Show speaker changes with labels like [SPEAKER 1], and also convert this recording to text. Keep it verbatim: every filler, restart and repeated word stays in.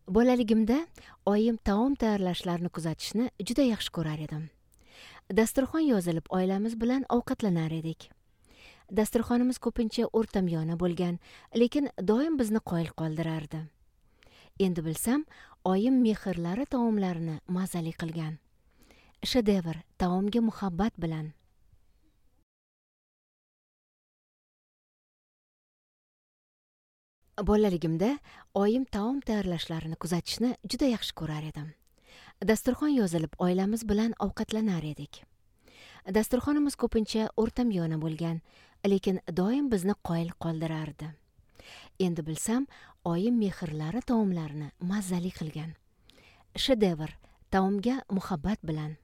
[SPEAKER 1] Bolaligimda oyim taom tayyorlashlarini kuzatishni juda yaxshi ko'rar edim. Dasturxon yozilib oilamiz bilan ovqatlanar edik. Dasturxonimiz ko'pincha o'rtamiyona bo'lgan, lekin doim bizni qoyil qoldirardi. Endi bilsam, oyim mehrlari taomlarini mazali qilgan. Shedevr taomga muhabbat bilan. Bolaligimda oyim taom tayyorlashlarini kuzatishni juda yaxshi ko'rar edim. Dasturxon yozilib oilamiz bilan ovqatlanar edik. Dasturxonimiz ko'pincha o'rtamiyona bo'lgan, lekin doim bizni qoyil qoldirardi. Endi bilsam, oyim mehrlari taomlarini mazali qilgan. Shedevr taomga muhabbat bilan.